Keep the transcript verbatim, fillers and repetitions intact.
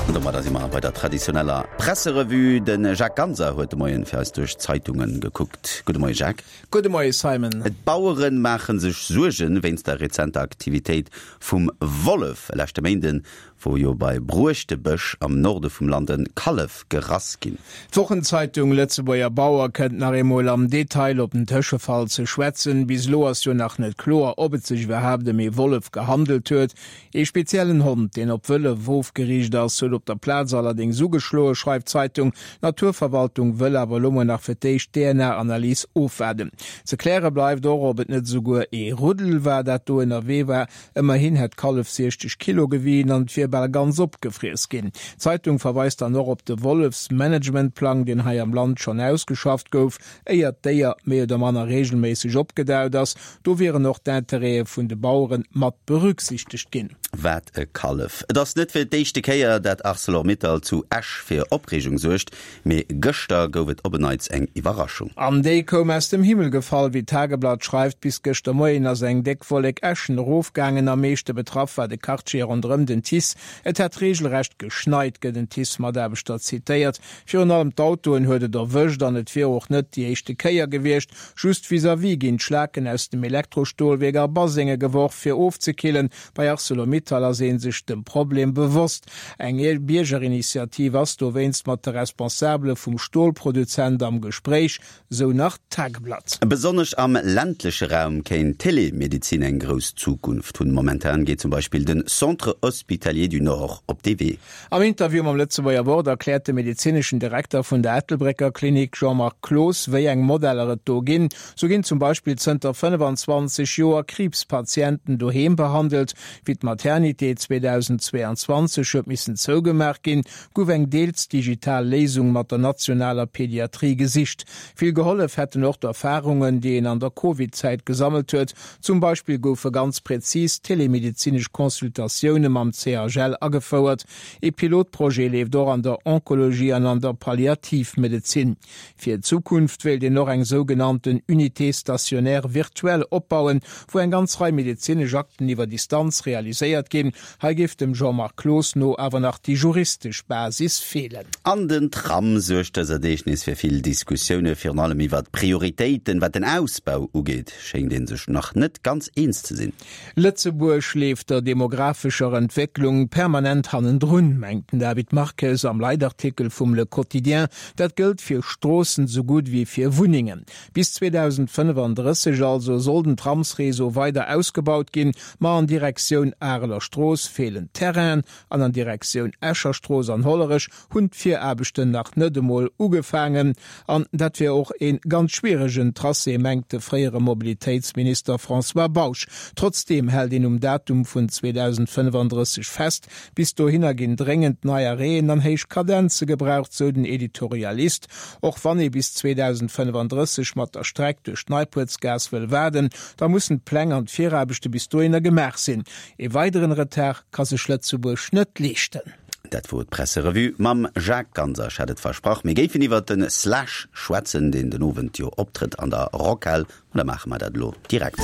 An domadder si mer bei der traditioneller Presserevue. De Jacques Ganser huet de Moien fir eis duerch d'Zeitunge gekuckt. Gudde Moie Jacques. Gudde Moie Simon. D'Bauere maache sech Suerge wéinst der rezenter Aktivitéit vum Wollef. E leschte Méinden wor jo bei Bruechtebesch am Norde vum Land e Kallef gerass ginn. D'Wochenzeitung Lëtzebuerger Bauer kënnt nach eemol am Detail op den Tëschefall ze schwätzen. Bis elo ass jo nach net kloer, ob et sech iwwerhaapt ëm ee Wollef gehandelt huet. Ee speziellen Hond, deen op Wëllef ofgeriicht ass, huet op der Plaz allerdéngs ugeschloen, schreift d'Zeitung. D'Naturverwaltung wëll awer elo mol nach fir d'éischt d'DNA-Analys ofwaarden. Ze kläre bleift och, ob et net esouguer ee Ruddel war, dat do ënnerwee war. Ëmmerhin hätt d'Kallef siechzeg Kilo gewien an et wier bal ganz opgefriess ginn. D'Zeitung verweist dann och op de Wollefsmanagementplang, deen hei am Land schonn ausgeschafft gouf, éier d'Déier méi oder manner reegelméisseg opgedaut ass. Do wieren och d'Intérêtë vun de Bauere mat berücksichtegt ginn. Wat e Kallef! Et ass net fir d'éischte Kéier, dat Arcelor-Mittal zu Esch fir Opreegung suergt, mee gëschter gouf et op en Neits eng Iwwerraschung. An déi koum aus dem Himmel gefall, wéi d'Tageblatt schreift. Bis gëschter Moien ass eng déck Wollek Äschen erofgaangen. Am meeschte betraff war de Quartier ronderëm den TICE. Et hätt reegelrecht geschneit, gëtt en TICE-Mataarbechter zitéiert. Virun allem d'Autoen huet et erwëscht an et wier och net déi éischte Kéier gewiescht. Just vis-à-vis ginn d'Schlaken aus dem Elektrostolwierk a Basenge geworf, fir ofzekillen. Bei Arcelor-Mittal ass ee sech dem Problem bewosst. Eng Biergerinitiativ ass dowéinst mat de Responsabele vum Stolproduzent am Gespréich, sou nach d'Tageblatt. Besonnesch am ländleche Raum kéint d'Telemedezin eng grouss Zukunft hunn. Momentan geet zum Beispill de Centre Hospitalier du Nord op dee Wee. Am Interview mam Lëtzebuerger Wort erkläert de medezineschen Direkter vun der Ettelbrécker Klinik Jean-Marc Cloos, wéi eng Modeller et do ginn. Sou ginn zum Beispill zënter fënnefenzwanzeg Joer Kriibspatienten doheem behandelt. Wéi d'Maternité zweedausendzweeanzwanzeg huet missen zougemaach ginn, gouf eng deels digital Léisung mat der nationaler Pediatrie gesicht. Vill gehollef hätten och d'Erfarungen, déi een an der Covid-Zäit gesammelt huet. Zum Beispill goufe ganz prezis telemedezinesch Consultatioune mam C H L agefouert. Ee Pilotprojet leeft och an der Onkologie an an der Palliativmedezin. Fir d'Zukunft wéilt een och eng sougenannten Unité stationnaire virtuelle opbauen, wou eng ganz Rei medezinesch Akten iwwer Distanz realiséiert ginn. Hei géif dem Jean-Marc Cloos no awer nach déi juristesch Basis feelen. An den Tram suergt dëser Deeg nees fir vill Diskussioune, virun allem iwwer d'Prioritéiten, wat den Ausbau ugeet, schéngt ee sech nach net ganz eens ze sinn. Lëtzebuerg leeft der demographescher Entwécklung permanent hannendrun, mengt den David Marques am Leitartikel vum Le Quotidien. Dat gëllt fir Stroossen sou gutt wéi fir Wunnengen. Bis zweedausendfënnefandrësseg also soll den Tramsreseau weider ausgebaut ginn, ma an Direktioun Areler Strooss feelen Terrainen an an Direktioun Escher Strooss an Hollerech hunn d'Viraarbechten nach net emol ugefaangen. An dat wier och e ganz schwieregen Tracé, mengt de fréiere Mobilitéitsminister François Bausch. Trotzdeem hält een um Datum vun zweedausendfënnefandrësseg fest. Bis dohinner ginn dréngend nei Arrêten an héich Kadenze gebraucht, sou den Editorialist. Och wann ee bis zweedausendfënnefandrësseg mat der Streck duerch d'Neipuertsgaass wëll waarden, da mussen d'Pläng an d'Viraarbechte bis dohinner gemaach sinn. Ee weideren Retard ka sech Lëtzebuerg net leeschten. Dat wor d'Presserevue mam Jacques Ganser. Ech hat et versprach, mir géifen iwwer den Slash schwätzen, deen den Owend jo optrëtt an der Rockhal. An da maache mer dat elo direkt.